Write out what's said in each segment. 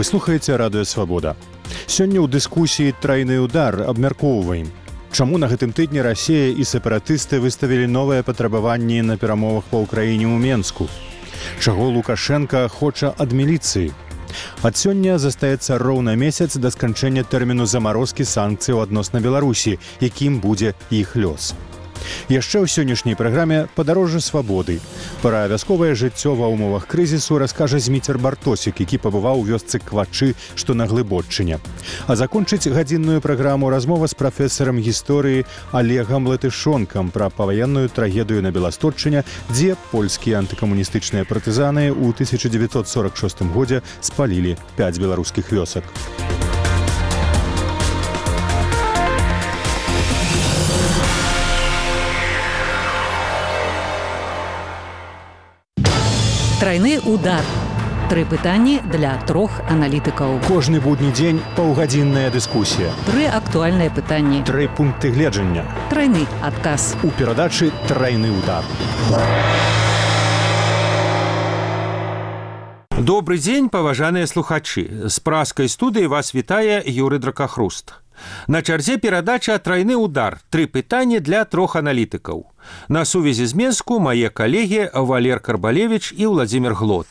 слухаеце радыё «Свабода». Сёння ў дыскусіі «Трайны удар» абмяркоўваем, чаму на гэтым тыдні Расія і сепаратысты выставілі новыя патрабаванні на перамовах па ўкраіне ў Менску. Чаго Лукашенка хоча ад міліцыі. Ад сёння застаецца роўна месяц да сканчэння тэрміну замарозкі санкцыяў адносна Беларусі, якім будзе іх лёс. Яшчэ ў сённяшняй праграме «Падарожжа свабоды». Пра вясковае жыццё ва ўмовах крызісу раскажа Зміцер Бартосік, які пабываў у вёсцы Квачы, што на Глыбоччыне. А закончыць гадзінную праграму размова з прафесарам гісторыі Олегам Латышонкам пра паваенную трагедыю на Беласточчыне, дзе польскія антыкамуністычныя партызаны ў 1946 годзе спалілі 5 беларускіх вёсак. Трайны удар. 3 пытанні для 3 аналітыкаў. Кожны будні дзень паўгадзінная дыскусія. 3 актуальныя пытанні. 3 пункты гледжання. Трайны адказ. У перадачы «Трайны удар». Добры дзень, паважаныя слухачы. З праскай студыі вас вітае Юрый Дракахруст. На чарзе перадача «Трайны удар». 3 пытанні для 3 аналітыкаў. На сувязі з Менску мае калегі Валер Карбалевіч і Владзімір Глот.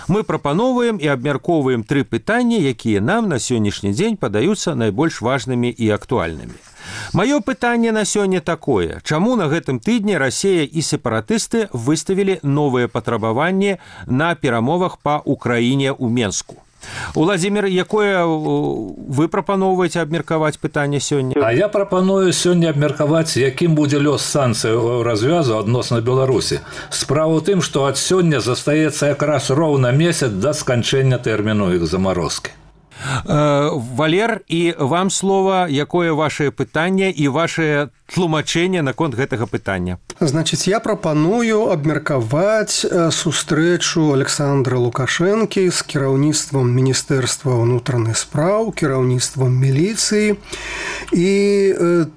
Мы прапаноўваем і абмяркоўваем 3 пытанні, якія нам на сённяшні дзень падаюцца найбольш важнымі і актуальнымі. Маё пытанне на сёння такое. Чаму на гэтым тыдні Расія і сепаратысты выставілі новыя патрабаванні на перамовах па Украіне ў Менску? Владзімір, якое вы прапаноўваеце абмеркаваць пытанне сёння? А я прапаную сёння абмеркаваць, якім будзе лёс санкцыяў развязу адносна Беларусі. Справа ў тым, што ад сёння застаецца якраз роўна месяц да сканчэння тэрміну іх замарозкі. Валер, і вам слова, якое ваше пытанне і ваше тлумачэнне наконт гэтага пытання? Значыць, я прапаную абмеркаваць сустрэчу Александра Лукашэнкі з кіраўніцтвам Міністэрства ўнутраных спраў, кіраўніцтвам міліцыі і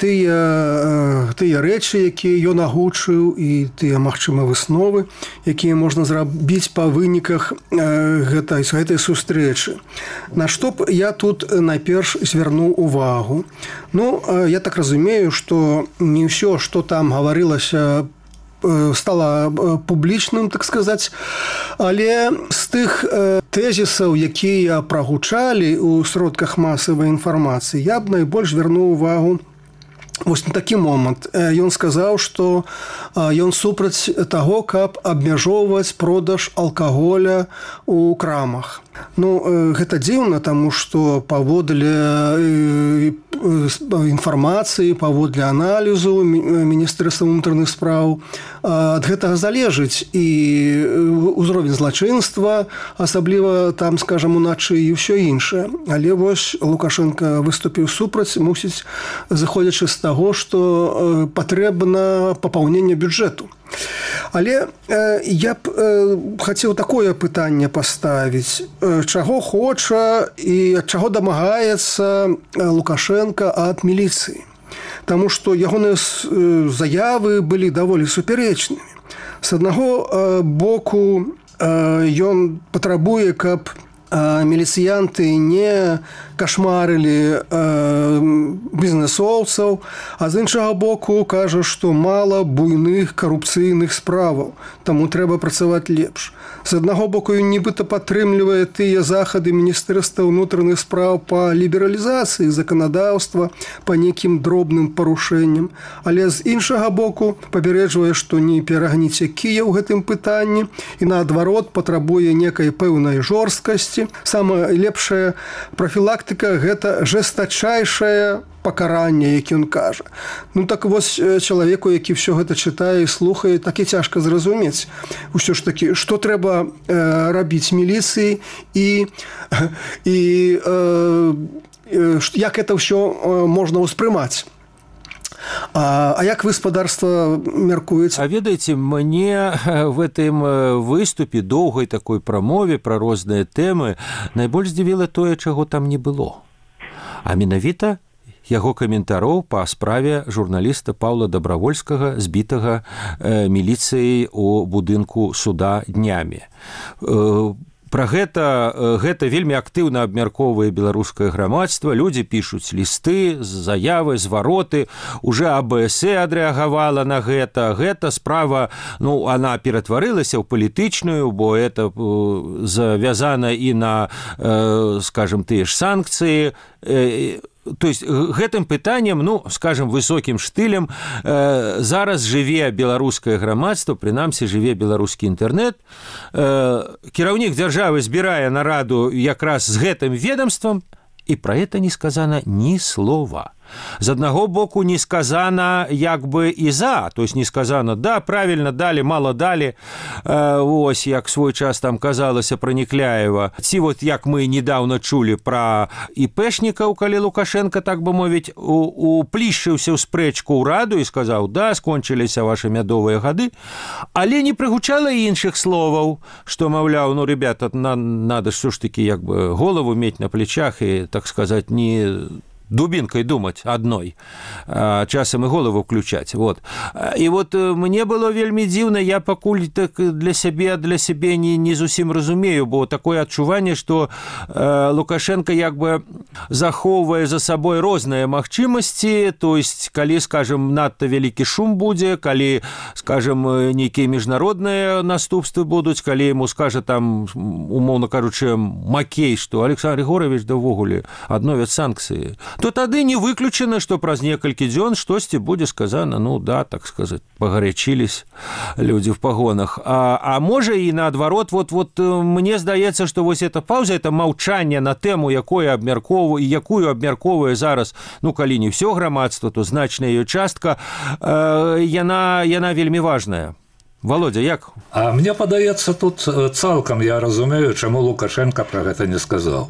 тыя рэчы, якія ён агучыў, і тыя, магчыма, высновы, якія можна зрабіць па выніках гэтай сустрэчы. На што б я тут найперш звярнуў увагу? Ну, я так разумею, што не ўсё, што там гаварылася, стала публічным, так сказаць, але з тых тэзісаў, якія прагучалі ў сродках масавай інфармацыі, я б найбольш звярнуў увагу вось на такі момант. Ён сказаў, што ён супраць таго, каб абмяжоўваць продаж алкаголя ў крамах. Ну, гэта дзіўна, таму што паводле інфармацыі, паводле аналізу Міністэрства ўнутраных спраў ад гэтага залежыць і ўзровень злачынства, асабліва там, скажам, уначы і ўсё іншае. Але вось Лукашенко выступіў супраць, мусіць, заходзячы з таго, што патрэбна папаўненне бюджэту. Але я б хацеў такое пытанне паставіць. Чаго хоча і ад чаго дамагаецца Лукашенко ад міліцыі? Таму што ягоныя заявы былі даволі супярэчнымі. З аднаго боку, ён патрабуе, каб міліцыянты не кашмарылі бізнесоўцаў, а з іншага боку кажа, што мала буйных карупцыйных справаў, таму трэба працаваць лепш. З аднаго боку, ён нібыта падтрымлівае тыя захады Міністэрства ўнутраных спраў па лібералізацыі заканадаўства, па нейкім дробным парушэнням, але з іншага боку папярэджвае, што не перагніце кія ў гэтым пытанні і наадварот патрабуе некай пэўнай жорсткасці. Самая лепшая прафілактыка – гэта жэстачайшае пакаранне, які ён кажа. Ну так вось чалавеку, які ўсё гэта чытае і слухае, так і цяжка зразумець. Усё ж такі, што трэба рабіць міліцыі і як гэта ўсё можна ўспрымаць. А як гаспадарства мяркуеце? А ведаеце, мне в гэтым выступе, доўгай такой прамове пра розныя тэмы найбольш здзівіла тое, чаго там не было. А менавіта яго каментароў па справе журналіста Паўла Дабравольскага, збітага міліцыяй у будынку суда днямі. Пра гэта вельмі актыўна абмяркоўвае беларускае грамадства. Людзі пішуць лісты, заявы, звароты. Уже АБС адрэагавала на гэта. Гэта справа, она ператварылася ў палітычную, бо это завязана і на, скажем, тыя ж санкцыі. То есть гэтым пытаннем, скажем, высокім штылем зараз жыве беларускае грамадства, прынамсі жыве беларускі інтэрнэт. Кіраўнік дзяржавы збірае нараду якраз з гэтым ведомствам, і пра гэта не сказана ні слова. З аднаго боку не сказана як бы і за, то есть не сказана, да, правильно далі, мало далі, ось як свой час там казалася пра Некляева. Ці вот як мы недавно чулі пра іпэшнікаў, калі Лукашенко, так бы мовіць, уплішчыўся ў спрэчку ўраду і сказаў, да, скончыліся ваши мядовыя гады, але не прыгучала іншых словаў, што, маўляў, ребята, надо ж все ж таки як бы голову мець на плечах і, так сказать, не дубинкой думать одной, часам и голову включать. Вот. И вот мне было вельмі дзіўна, я пакуль так для сябе не зусім разумею, бо такое адчуванне, што Лукашенко як бы захоўвае за сабой розныя магчымасці, то есть калі, скажем, надта вялікі шум будзе, калі, скажем, нейкія міжнародныя наступствы будуць, калі ему скажа там, умоўна кажучы, Макей, што Александр Григорович да ўвогуле адновяць санкцыі, то тады не выключана, што праз некалькі дзён штосьці будзе сказана, да, так сказать, пагарячились людзі в пагонах. А можа і наадварот, вот мне здаецца, што вось эта пауза, это маўчанне на тэму, якую абмяркоўвае зараз, калі не ўсё грамадства, то значная ее частка, яна вельмі важная. Володя, як? А мне падаецца, тут цалкам я разумею, чаму Лукашенко пра гэта не сказаў.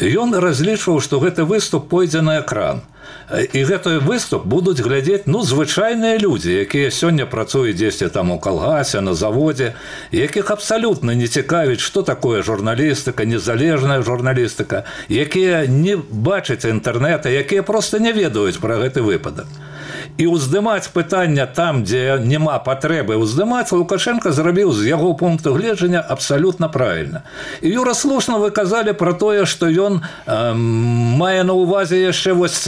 Ён разлічваў, што гэты выступ пойдзе на экран. І гэты выступ будуць глядзець, звычайныя людзі, якія сёння працуюць дзесьці там у калгасе, на заводзе, якіх абсалютна не цікавіць, што такое журналістыка, незалежная журналістыка, якія не бачаць інтэрнэта, якія проста не ведаюць пра гэты выпадак. І ўздымаць пытання там, дзе няма патрэбы ўздымаць, Лукашенко зрабіў з яго пункту гледжання абсалютна правільна. І Юра, слушна вы казалі пра тое, што ён мае на ўвазе яшчэ вось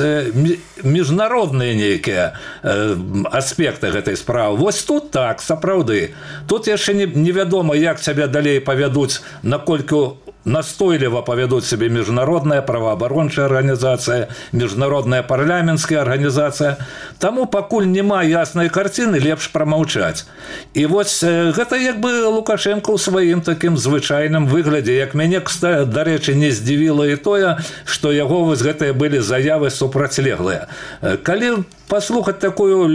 міжнародныя нейкія аспекты гэтай справы. Вось тут так, сапраўды. Тут яшчэ невядома, як сябе далей павядуць, наколькі настойліва павядуць сябе міжнародная праваабарончая арганізацыя, міжнародная парламенцкая арганізацыя. Таму пакуль няма яснай карціны, лепш прамаўчаць. І вось гэта як бы Лукашенко ў сваім такім звычайным выглядзе. Як мяне, дарэчы, не здзівіла і тое, што яго вось гэтыя былі заявы супрацьлеглыя. Калі паслухаць такую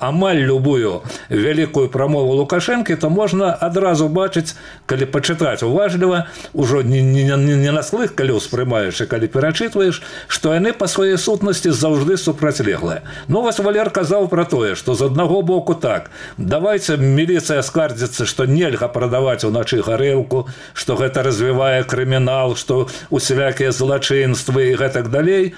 амаль любую вялікую прамову Лукашенко, то можна адразу бачыць, калі пачытаць уважліва, ужо не на слых, калі ўспрымаеш, і калі перачытваеш, што яны па сваёй сутнасці заўжды супрацьлеглыя. Вось Валер казаў пра тое, што з аднаго боку так, давайце міліцыя скардзіцца, што нельга прадаваць уначы гарэлку, што гэта развівае крымінал, што усялякія злачынствы і гэтак далей.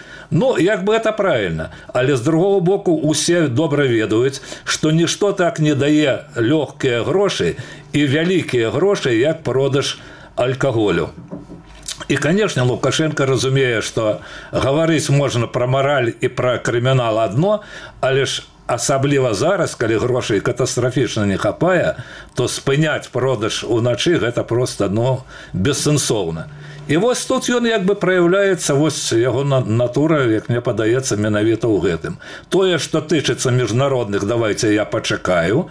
Як бы это правильно. Але з другого боку усе добра ведаюць, што нішто так не дае лёгкія грошы і вялікія грошы, як продаж алкаголю. І, конечно, Лукашенко разумее, што гаварыць можна пра мараль і пра крымінал адно, але ж асабліва зараз, калі грошай катастрафічна не хапае, то спыняць продаж уначы гэта проста бессэнсоўна. І вось тут ён як бы праяўляецца, вось яго натура, як мне падаецца, менавіта ў гэтым. Тое, што тычыцца міжнародных, давайце я пачакаю,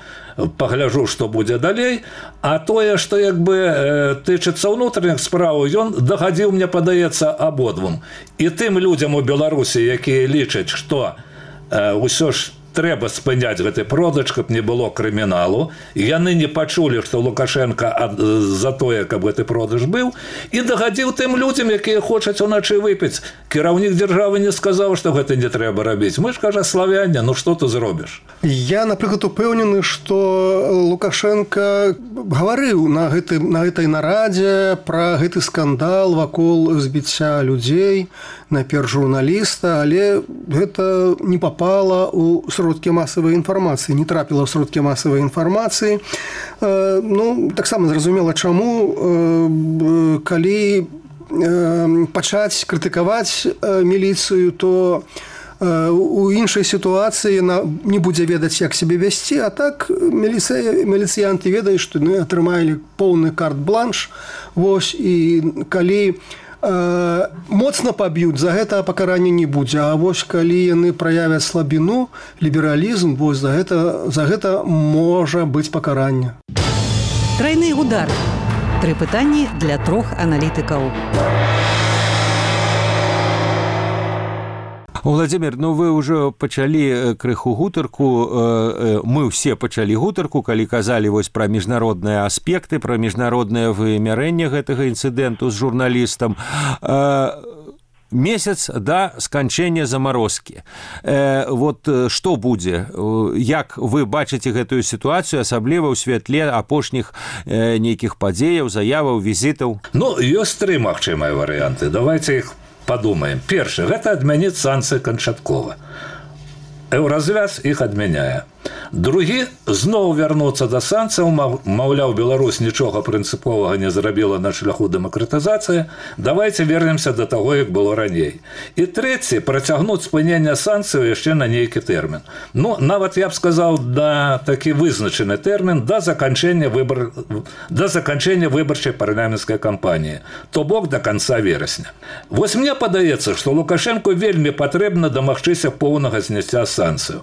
пагляжу, што будзе далей, а тое, што як бы тычыцца ўнутраных справаў, ён дагадзіў, мне падаецца, абодвум. І тым людзям у Беларусі, якія лічаць, што ўсё ж трэба спыняць гэты продаж, каб не было крыміналу. Яны не пачулі, што Лукашенко за тое, каб гэты продаж быў, і дагадзіў тым людзям, якія хочуць уначы выпіць. Кіраўнік дзяржавы не сказаў, што гэта не трэба рабіць. Мы ж, кажа, славяне, што ты зробіш? Я, напрыклад, упэўнены, што Лукашенко гаварыў на гэтай нарадзе пра гэты скандал вакол збіцця людзей, найперш журналіста, але гэта не папала ў сродкі масавай інфармацыі, не трапіла ў сродкі масавай інфармацыі. Ну, таксама зразумела, чаму, калі пачаць крытыкаваць міліцыю, то у іншай сітуацыі яна не будзе ведаць, як сябе весці, а так міліцыянты ведаюць, што атрымалі поўны карт-бланш. Вось, і калі моцна паб'юць, за гэта пакарання не будзе. А вось калі яны праявяць слабіну, лібералізм, вось за гэта можа быць пакаранне. Трайны удар. 3 пытанні для 3 аналітыкаў. Владимир, ну вы ўжо пачалі крыху гутарку, мы ўсе пачалі гутарку, калі казалі вось пра міжнародныя аспекты, пра міжнароднае вымярэнне гэтага інцыдэнту з журналістам. Месяц да сканчэння замарозкі. Вот што будзе? Як вы бачыце гэтую сітуацыю, асабліва ў святле апошніх нейкіх падзеяў, заяваў, візітаў? Ну, ёсць 3 магчымыя варыянты. Давайте іх подумаем. Першы, гэта адмяніць санкцыі канчаткова. Еўразвяз іх адмяняе. Другі, зноў вярнуцца да санкцыяў, маўляў, Беларусь нічога прынцыповага не зрабіла на шляху дэмакратызацыі, давайте вернемся до таго, як было раней. І трэці, працягнуць спынення санкцыяў яшчэ на нейкі тэрмін. Ну, нават я б сказаў, да такі вызначаны тэрмін да заканчэння выбарчай парламенцкай кампаніі, то бок до конца верасня. Вось мне падаецца, што Лукашенку вельмі патрэбна дамагчыся поўнага зняцця санкцыяў.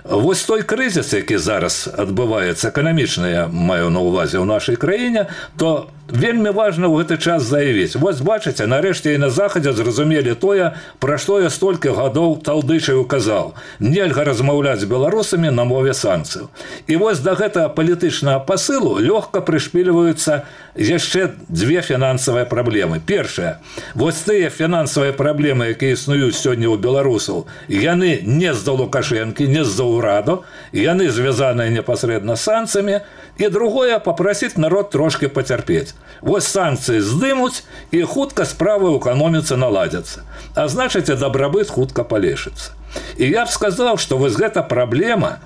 Вось той крызіс, які зараз адбываецца, эканамічна я маю на ўвазе ў нашай краіне, то вельмі важна ў гэты час заявіць. Вось бачыце, нарэшце і на захадзе зразумелі тое, пра што я столькі гадоў талдычаю казаў. Нельга размаўляць з беларусамі на мове санкцыяў. І вось да гэтага палітычнага пасылу лёгка прышпільваюцца яшчэ 2 фінансавыя праблемы. Першая, вось тыя фінансавыя праблемы, якія існуюць сёння ў беларусаў, яны не з-за Лукашэнкі, не з-за ўраду, яны звязаныя непасрэдна з санкцыямі. І другое, папрасіць народ трошки пацярпець. Вось санкцыі здымуць, і хутка справы ў эканоміцы наладзяцца. А значыць, дабрабыт хутка палепшыцца. І я б сказаў, што вось гэта праблема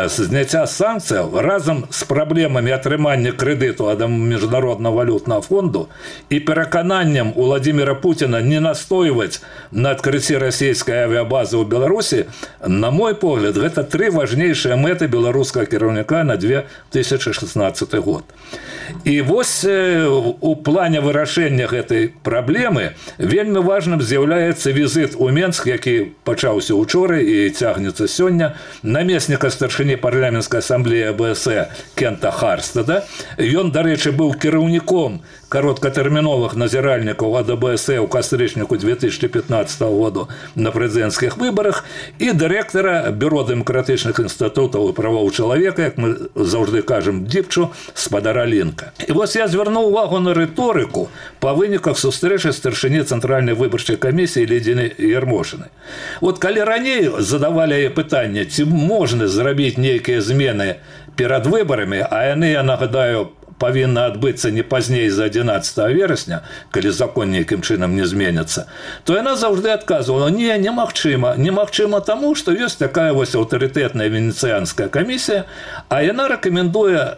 зняцця санкцыяў разам з праблемамі атрымання крэдыту ад міжнароднага валютнага фонду і перакананнем Владимира Путина не настойваць на адкрыцці расійскай авіабазы ў Беларусі, на мой погляд, гэта 3 важнейшыя мэты беларускага кіраўніка на 2016 год. І вось у плане вырашэння гэтай праблемы вельмі важным з'яўляецца візіт у Менск, які пачаўся учора і цягнецца сёння, намесніка старшыні парламенцкай асамблеі АБС Кента Харстеда. Ён, дарэчы, быў кіраўніком кароткатэрміновых назіральнікаў ад АБС ў кастрычніку 2015 году на прэзідэнцкіх выбарах і дырэктара Бюро дэмакратычных інстытутаў і правоў чалавека, як мы заўжды кажам, Діпчу, спадара Лінка. І вось я звярнуў увагу на рыторыку па выніках сустрэчы старшыні Цэнтральнай выбарчай камісіі Лідзіны Ярмошынай. Вот калі раней задавалі пытанне, ці можна зрабіць нейкія змены перад выбарамі, а яны, я нагадаю, павінна адбыцца не пазней за 11 верасня, калі закон нейкім чынам не зменіцца, то яна заўжды адказвала: не, немагчыма. Немагчыма таму, што ёсць такая вось аўтарытэтная венецыянская камісія, а яна рэкамендуе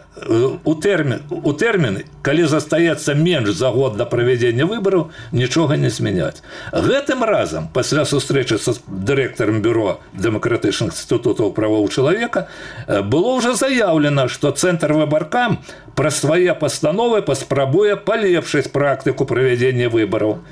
у тэрмін, калі застаецца менш за год да правядзення выбараў, нічога не змяняць. Гэтым разам, пасля сустрэчы са дырэктарам Бюро дэмакратычных інстытутаў правоў чалавека, было ўжо заяўлена, што Цэнтр выбаркам праз свае пастановы паспрабуе палепшыць практыку правядзення выбараў.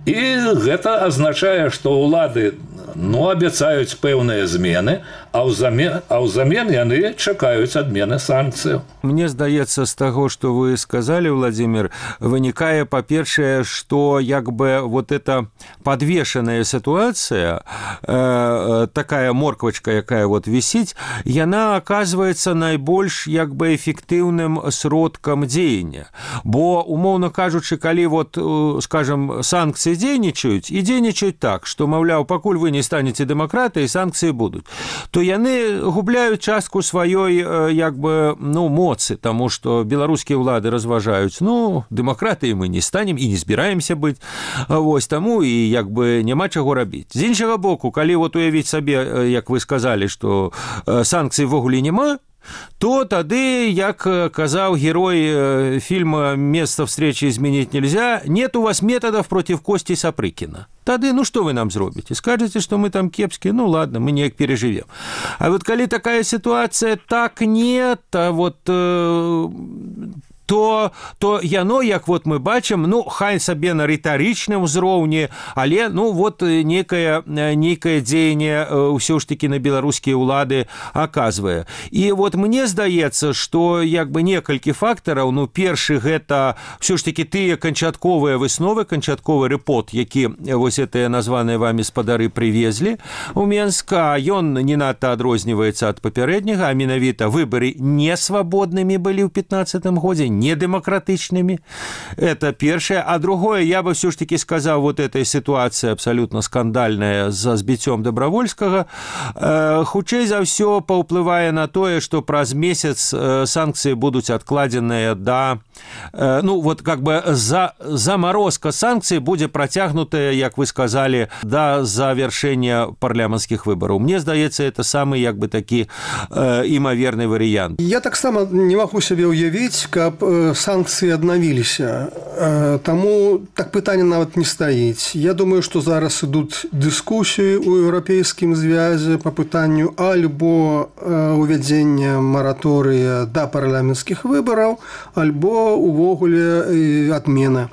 І гэта азначае, што ўлады абяцаюць пэўныя змены, а ўзамен яны чакаюць адмены санкцыяў. Мне здаецца, з таго, што вы сказалі, Владимир, вынікае, па-першае, што як бы вот эта подвешенная ситуация, такая морквачка, якая вот висіць, яна оказывается найбольш як бы эфектыўным сродкам дзеяння. Бо, умоўна кажучы, калі вот, скажем, санкцыі дзейнічаюць, і дзейнічаюць так, што, маўляў, пакуль вы не станеце дэмакратыяй, санкцыі будуць, то яны губляюць частку сваёй як бы, ну, моцы, таму што беларускія ўлады разважаюць, ну, дэмакратыяй мы не станем і не збіраемся быць, вось таму і як бы няма чаго рабіць. З іншага боку, калі вот уявіць сабе, як вы сказалі, што санкцый ввогуле няма, то тады, як казаў герой фильма «Место встречи изменить нельзя», нет у вас методов против Кости Сапрыкина. Тады, ну, что вы нам зробите? Скажете, что мы там кепские? Ну, ладно, мы неяк переживем. А вот коли такая ситуация, так нет, а вот... то яно, як вот мы бачым, ну, хай сабе на рытарычным узроўні, але, ну, вот некае дзеянне ўсё ж таки на беларускія ўлады аказвае. І вот мне здаецца, што як бы некалькі фактараў, ну, першы гэта ўсё ж таки тыя канчатковыя высновы, канчатковы рэпорт, які вось гэтыя названыя вамі спадары прывезлі у Менск, а ён не надта адрозніваецца ад папярэдняга, а менавіта выбары несвабоднымі былі ў 15-м годзе, недемократичными. Это первое. А другое, я бы все ж таки сказал, вот этой ситуации абсолютно скандальная за збіццём Добровольского, хутчэй за все паўплывае на тое, что праз месяц санкции будут откладенные до, ну вот как бы заморозка санкций будет протягнутая, як вы сказали, до завершения парламентских выборов. Мне здаецца, это самый як бы такі імаверны варыянт. Я таксама не могу себе уявіць, каб санкцыі аднавіліся. Таму так пытанне нават не стаіць. Я думаю, што зараз ідуць дыскусіі ў еўрапейскім звязе па пытанню альбо увядзення мараторыя да парламенцкіх выбараў, альбо увогуле адмена.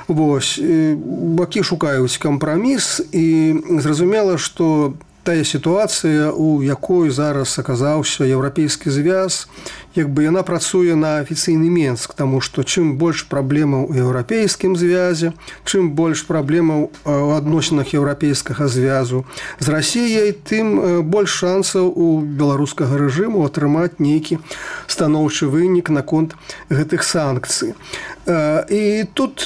Вось. Бакі шукаюць кампраміс, і зразумела, што тая сітуацыя, у якой зараз аказаўся еўрапейскі звяз, як бы яна працуе на афіцыйны Менск, таму што чым больш праблемаў у еўрапейскім звязе, чым больш праблемаў у адносінах еўрапейскага звязу з Расіяй, тым больш шансаў у беларускага рэжыму атрымаць нейкі станоўчы вынік наконт гэтых санкцый. І тут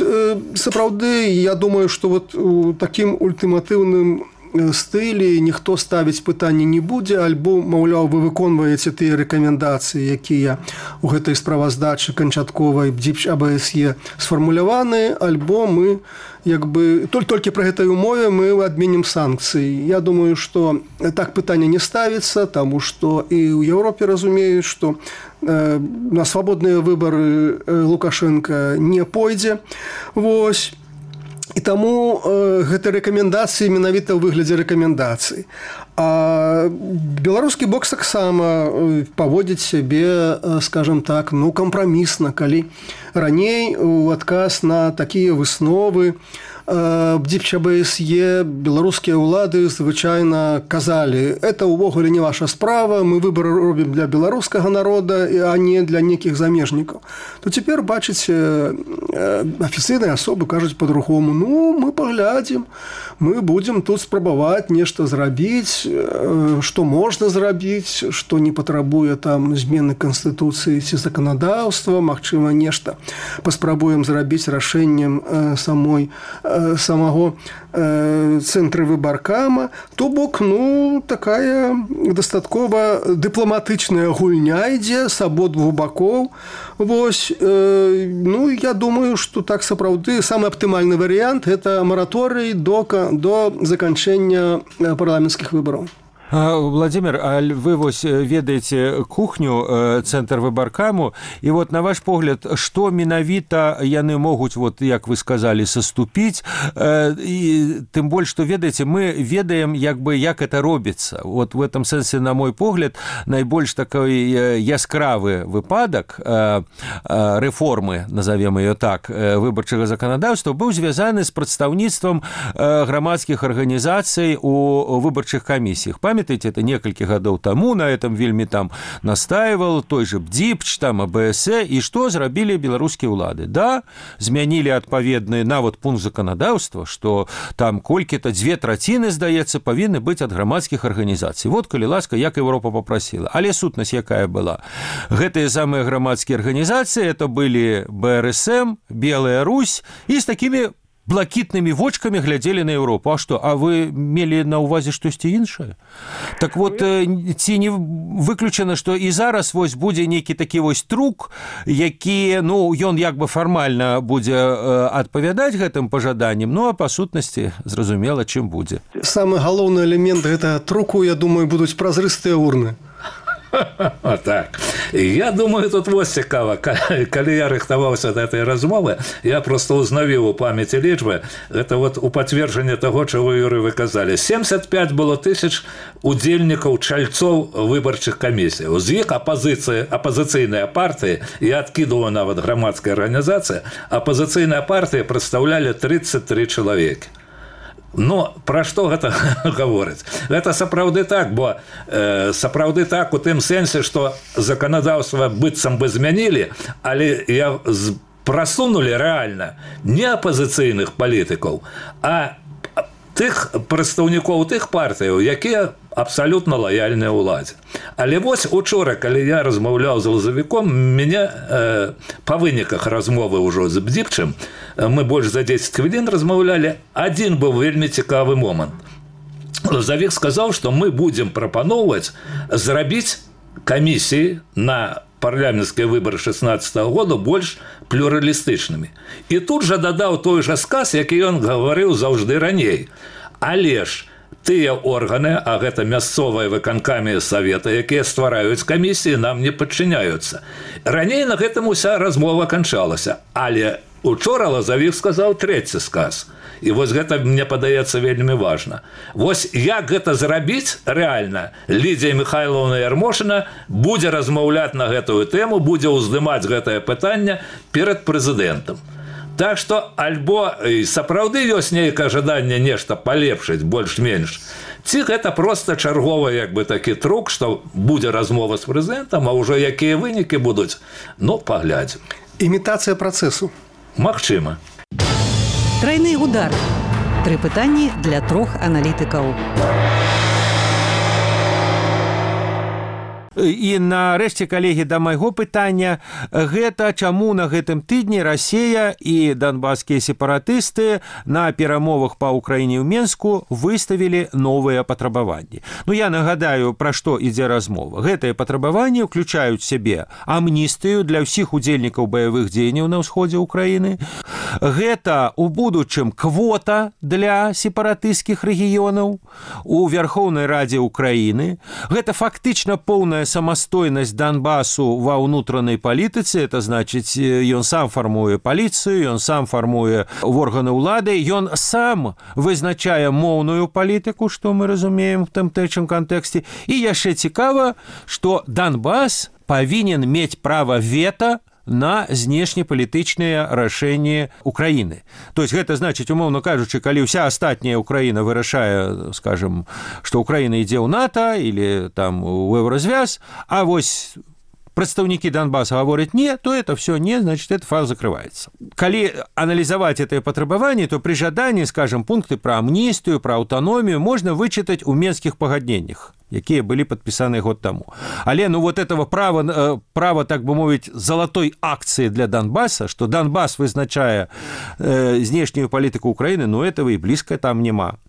сапраўды, я думаю, што вот у такім ультыматыўным стылі ніхто ставіць пытанне не будзе, альбо, маўляў, вы выконваеце тыя рэкамендацыі, якія ў гэтай справаздачы канчатковай БДИП АБСЕ сфармуляваны, альбо мы як бы толькі пры гэтай умове мы адменім санкцыі. Я думаю, што так пытанне не ставіцца, таму што і ў Еўропе разумеюць, што на свабодныя выбары Лукашенко не пойдзе. Вось. І таму гэта рэкамендацыі менавіта ў выглядзе рэкамендацый. А беларускі бок таксама паводзіць сябе, скажем так, ну, кампрамісна, калі раней у адказ на такія высновы БДИП АБСЕ беларускія ўлады звычайна казалі: это ўвогуле не ваша справа, мы выбары робім для беларускага народа, а не для нейкіх замежнікаў. То цяпер, бачыце, афіцыйныя асобы кажуць по-другому: ну, мы паглядзім, мы будзем тут спрабаваць нешта зрабіць, што можна зрабіць, што не патрабуе там змены канстытуцыі ці заканадаўства, магчыма, нешта паспрабуем зрабіць рашэннем самого цэнтра выбаркама. То бок, ну, такая дастаткова дыпламатычная гульня ідзе з абодвух бакоў. Вось, ну, я думаю, што так сапраўды самы аптымальны варыянт – гэта мараторый до заканчэння парламенцкіх выбараў. Владимир, а вы вось ведаеце кухню цэнтр выбаркаму, і вот на ваш погляд, што менавіта яны могуць, вот як вы сказалі, саступіць, і тым больш, што ведаеце, мы ведаем як бы як это робіцца. Вот в этом сэнсе, на мой погляд, найбольш такой яскравы выпадак рэформы, назовем ее так, выбарчага заканадаўства быў звязаны з прадстаўніцтвам грамадскіх арганізацый у выбарчых камісіях. Памятаете, это некалькі гадоў таму на этом вельмі там настаивал той же БДИП, там АБСЕ, і што зрабілі беларускія ўлады? Да, змянілі адпаведны нават пункт заканадаўства, што там колькі-то 2/3, здаецца, павінны быць ад грамадскіх арганізацый. Вот, калі ласка, як Еўропа попросила. Але сутнасць якая была? Гэтыя самыя грамадскія арганізацыі, это былі БРСМ, Белая Русь, і з такімі блакітнымі вочкамі глядзелі на Еўропу. А што, а вы мелі на ўвазе штосьці іншае? Так вот, ці не выключана, што і зараз вось будзе нейкі такі вось трук, які, ну, ён як бы фармальна будзе адпавядаць гэтым пажаданням, ну, а па сутнасці зразумела, чым будзе. Самы галоўны элемент гэтага труку, я думаю, будуць празрыстыя урны. Так. Я думаю, тут вот цікава. Калі я рыхтаваўся да этой размовы, я просто узнавіў у памяці лічбы. Это вот у пацверджання таго, чаго, Юрый, вы казалі. 75 было тысяч удзельнікаў, чальцоў выбарчых камісій. З іх апазіцыйныя партыі, я адкідываў нават грамадская арганізацыя, апазіцыйныя партыі прадстаўлялі 33 чалавекі. Ну, пра што гэта гаворыць? Гэта сапраўды так, бо сапраўды так у тым сэнсе, што заканадаўства быццам бы змянілі, але прасунулі рэальна не апазіцыйных палітыкаў, а тых прадстаўнікоў тых партыяў, якія абсалютна лаяльныя ўладзе. Але вось учора, калі я размаўляў з лазавіком, мяне па выніках размовы ўжо з Бдзіпчым, мы больш за 10 хвілін размаўлялі, адзін быў вельмі цікавы момант. Лазавік сказаў, што мы будзем прапаноўваць зрабіць камісіі на парламенцкія выбары 16-го года больш плюралістычнымі. І тут жа дадаў той жа сказ, які ён гаварыў заўжды раней. Але ж тыя органы, а гэта мясцовыя выканкамі савета, якія ствараюць камісіі, нам не падчыняюцца. Раней на гэтым уся размова канчалася, але учора Лазавік сказаў трэці сказ. І вось гэта, мне падаецца, вельмі важна. Вось як гэта зрабіць рэальна, Лідзія Михайловна Ярмошына будзе размаўляць на гэтую тэму, будзе ўздымаць гэтае пытанне перад прэзідэнтам. Так што альбо сапраўды ёсць нейкае жаданне нешта палепшыць больш-менш, ці гэта проста чарговы як бы такі трук, што будзе размова з прэзідэнтам, а ўжо якія вынікі будуць, ну, паглядзім. Імітацыя працэсу. Магчыма. Трайны удар. 3 пытанні для 3 аналітыкаў. І нарэшце, калегі, да майго пытання, гэта чаму на гэтым тыдні Расія і донбасскія сепаратысты на перамовах па Ўкраіне ў Менску выставілі новыя патрабаванні. Ну, я нагадаю, пра што ідзе размова. Гэтыя патрабаванні ўключаюць сябе амністыю для ўсіх удзельнікаў баявых дзеянняў на ўсходзе Ўкраіны. Гэта у будучым квота для сепаратысцкіх рэгіёнаў у Верхоўнай Радзе Ўкраіны. Гэта фактычна поўная самастойнасць Донбасу ва ўнутранай палітыцы, это значыць, ён сам фармуе паліцыю, ён сам фармуе органы ўлады, ён сам вызначае моўную палітыку, што мы разумеем в тэмтэчым кантэксце. І яшчэ цікава, што Донбас павінен мець права вета на знешнепалітычныя рашэнні Украіны. То есть гэта значыць, умоўна кажучы, калі ўся астатняя Украіна вырашае, скажем, што Украіна ідзе ў НАТО или там у Еўразвяз, а вось прадстаўнікі Донбасса гавораць не, то это все не, значит, этот файл закрывается. Калі аналізаваць это патрабаванне, то при жаданні, скажем, пункты пра амністыю, пра аўтаномію можна вычытаць у Менскіх пагадненнях, якія былі падпісаны год таму. Але, ну, вот этого права, так бы мовіць, залатой акцыі для Донбасса, што Донбас вызначае знешнюю палітыку Украіны, ну, этого і блізка там няма.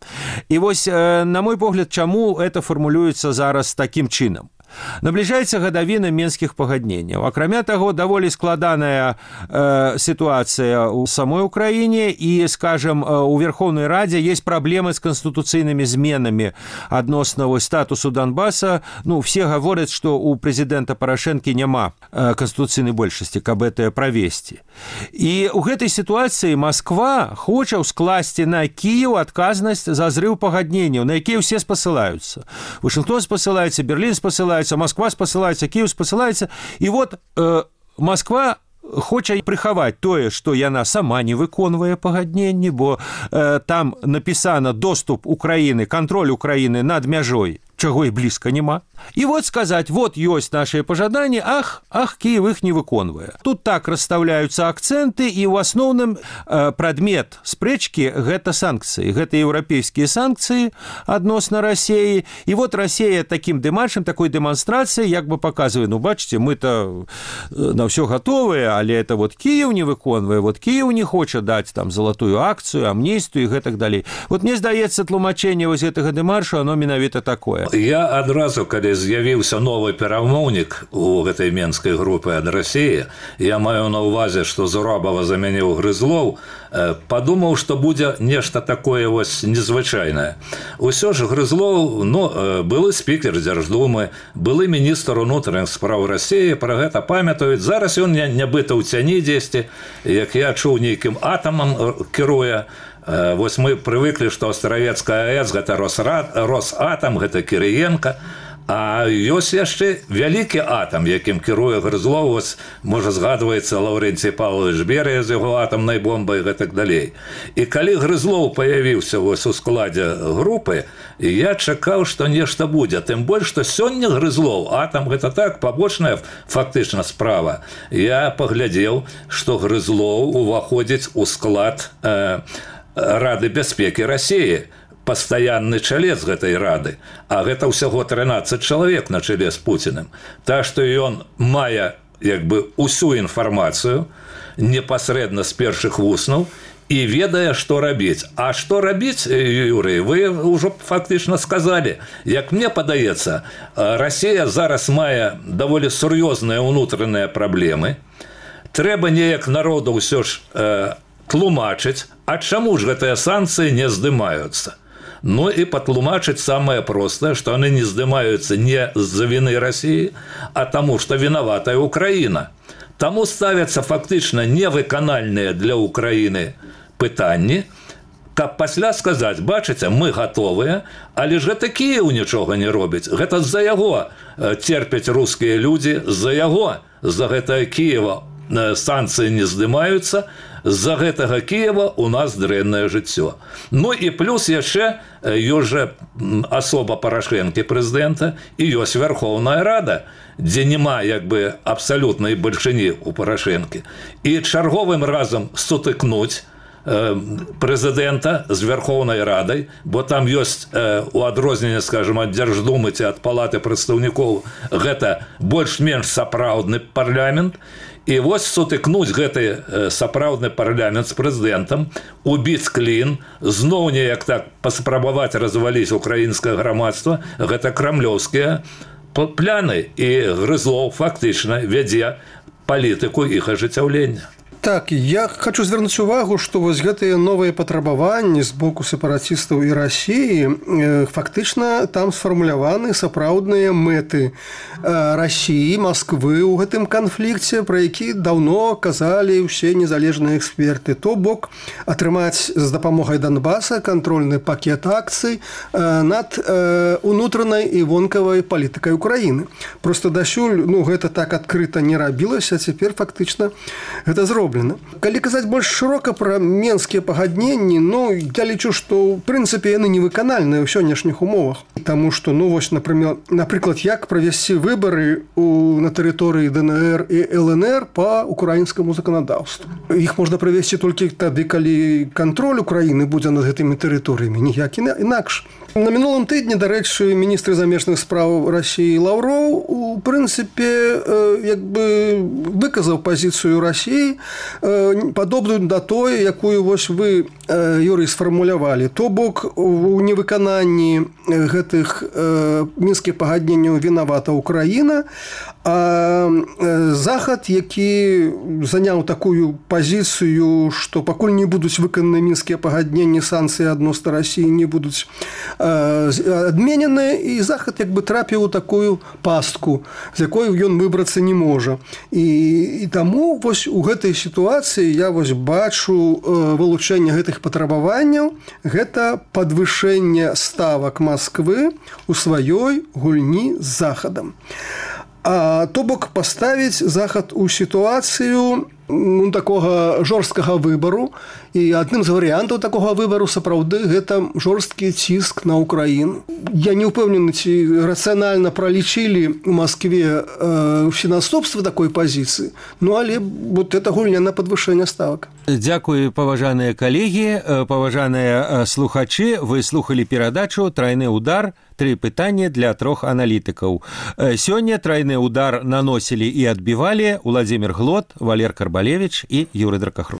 І вось, на мой погляд, чаму это фармулюецца зараз такім чынам? Набліжаецца гадавіна Менскіх пагадненняў. Акрамя таго, даволі складаная сітуацыя ў самой Украіне і, скажем, у Верховнай Радзе есть праблемы з канстытуцыйнымі зменамі адносна статусу Донбасса. Ну, все гавораць, што у прэзідэнта Парашэнкі няма канстытуцыйнай большасці, каб гэта правесці. І ў гэтай сітуацыі Масква хоча скласці на Кіеў адказнасць за зрыў пагадненняў, на якія ўсе спасылаюцца. Вашингтон спасылаецца, Берлін спасылаецца, Москва спасылаецца, Киев спасылаецца. І вот Москва хоча прыхаваць тое, што яна сама не выконвае пагадненні, бо там напісана доступ Украіны, кантроль Украіны над мяжой чаго і блізка няма. І вот сказаць, вот ёсць нашыя пажаданні, ах, Кіев іх не выконвае. Тут так расстаўляюцца акцэнты, і ў асноўным прадмет спрэчкі гэта санкцыі, гэта еўрапейскія санкцыі адносна Расіі. І вот Расія такім дэмаршам, такой дэманстрацыяй як бы паказвае, ну бачыце, мы-то на ўсё гатовыя, але это вот Кіев не выконвае, вот Кіев не хоча даць там залатую акцыю, амністыю і гэтак далей. Вот мне здаецца, тлумачэнне вось гэтага дэмаршу, оно менавіта такое. Я адразу, калі з'явіўся новы перамоўнік у гэтай менскай групы ад Расіі, я маю на ўвазе, што Зурабава заменіў Грызлоў, падумаў, што будзе нешта такое вось незвычайнае. Усё ж Грызлоў, былы спікер Дзярждумы, былы міністр унутраных спраў Расіі, пра гэта памятаюць. Зараз ён нібыта ў цяні дзесьці, як я чуў, нейкім атамам кіруе. Вось мы прывыклі, што Астравецкая АЭС гэта Росатам, гэта Кірыенка, а ёсць яшчэ вялікі атам, якім кіруе Грызлоў, можа згадваецца Лаўрэнцій Павлович Берыя з яго атамнай бомбай і гэтак далей. І калі Грызлоў паявіўся у складзе групы, я чакаў, што нешта будзе. Тым больш, што сёння Грызлоў, атам гэта так, пабочная фактычна справа. Я паглядзеў, што Грызлоў уваходзіць у склад Рады бяспекі Расіі, пастаянны чалец гэтай рады, а гэта ўсяго 13 чалавек на чале з Пуціним. Так што ён мае як бы усю інфармацыю непасрэдна з першых вуснаў і ведае, што рабіць. А што рабіць, Юрый, вы ўжо фактычна сказалі. Як мне падаецца, Расія зараз мае даволі сур'ёзныя ўнутраныя праблемы. Трэба неяк народу ўсё ж тлумачыць, а чаму ж гэтыя санкцыі не здымаюцца? Ну і патлумачыць самае простае, што яны не здымаюцца не з-за віны Расіі, а таму, што вінаватая Украіна. Таму ставяцца фактычна невыканальныя для Украіны пытанні, каб пасля сказаць, бачыце, мы гатовыя, але ж гэта Кіев нічога не робіць. Гэта з-за яго церпяць рускія людзі, з-за яго, з-за гэтага Кіева санкцыі не здымаюцца, з-за гэтага Кіева у нас дрэннае жыццё. Ну і плюс яшчэ ёсць жа асоба Парашэнкі прэзідэнта і ёсць Вярхоўная Рада, дзе няма як бы абсалютнай бальшыні ў Парашэнкі. І чарговым разам сутыкнуць прэзідэнта з Вярхоўнай Радай, бо там ёсць у адрозненне, скажем, ад Дзярждумы ці ад Палаты прадстаўнікоў, гэта больш-менш сапраўдны парламент. І вось сутыкнуць гэты сапраўдны парламент з прэзідэнтам, убіць клін, зноў неяк так паспрабаваць разваліць украінскае грамадства, гэта крамлёўскія пляны. І Грызлоў фактычна вядзе палітыку іх ажыццяўлення. Так, я хочу звярнуць увагу, што вось гэтыя новыя патрабаванні з боку сепаратыстаў і Расіі фактычна там сфармуляваны сапраўдныя мэты Расіі, Масквы ў гэтым канфлікце, пра які даўно казалі ўсе незалежныя эксперты. То бок атрымаць з дапамогай Донбаса кантрольны пакет акцый над унутранай і вонкавай палітыкай Украіны. Просто дасюль гэта так адкрыта не рабілася, цяпер фактычна гэта зроблена. Калі казаць больш шырока пра менскія пагадненні, я лічу, што ў прынцыпе яны невыканальныя ў сённяшніх умовах. Таму што, напрыклад, як правесці выбары на тэрыторыі ДНР і ЛНР па украінскаму заканадаўству. Іх можна правесці толькі тады, калі кантроль Украіны будзе над гэтымі тэрыторыямі, ніяк інакш. На мінулым тыдні, дарэчы, міністр замежных спраў Расіі Лаўроў у прынцыпе выказаў пазіцыю Расіі падобную да той, якую вось вы, Юрый, сфармулявалі. То бок у невыкананні гэтых мінскіх пагадненняў вінавата Украіна, а Захад, які заняў такую пазіцыю, што пакуль не будуць выкананы мінскія пагадненні, санкцыі адносна Расіі не будуць адменены, і Захад трапіў у такую пастку, з якой ён выбрацца не можа. І таму вось у гэтай сітуацыі я бачу вылучэнне гэтых патрабаванняў, гэта падвышэнне ставак Масквы у сваёй гульні з Захадам. То бок паставіць Захад у сітуацыю, такога жорсткага выбару, і адным з варыянтаў такога выбару сапраўды гэта жорсткі ціск на Украіну. Я не ўпэўнены, ці рацыянальна пралічылі у Маскве фінаступства такой пазіцыі, але вот это гульня на падвышэнне ставак. Дзякую, паважаныя калегі, паважаныя слухачы, вы слухалі перадачу «Трайны удар. 3 пытанні для 3 аналітыкаў». Сёння трайны удар наносілі і адбівалі Уладзімір Глот, Валер Карбалевіч і Юрый Дракахруст.